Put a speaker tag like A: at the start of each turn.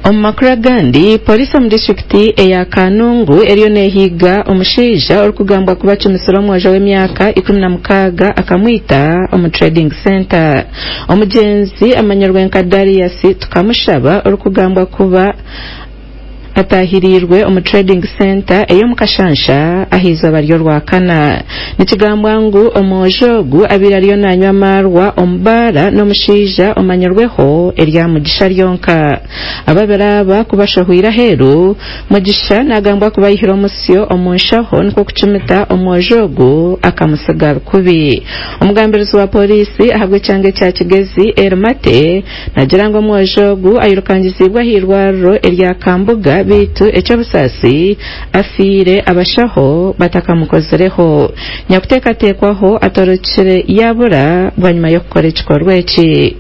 A: Omu makuru agandi, Pooriisi omu disiturikiti eya Kanungu eriyo nehiiga omushaija orikugambwa kuba acumisire omwojo w'emyaka 16 akamwita omu Trading Centre. Omugyenzi amanyirwe nka Darius Tukamushaba orikugambwa kuba ataahiriirwe omu Trading Centre ey'omu Kashansha ah'eizooba ry'Orwakana. Nikigambwa ngu omwojo ogu abaire ariyo nanywa amaarwa omu baara n'omushaija omanyirweho erya Mugisha ryonka. Ababiri aba ku bashohweire aheeru, Mugisha nagambwa kuba ayihire omusyo omu nshaho nikwo kucumita omwojo ogu akamutsiga rukubi. Omugambirizi wa pooriisi ahabw'ekyanga ekya Kigezi, Elly Mate, Nagira ngu omwojo ogu airukangiziibwe ah'eirwariro erya Kambuga beitu eky'obusaasi afiire abashaho batakamukozireho. Nyakuteekateekwaho atorokire yaabura bwanyima y'okukora ekikorwa eki.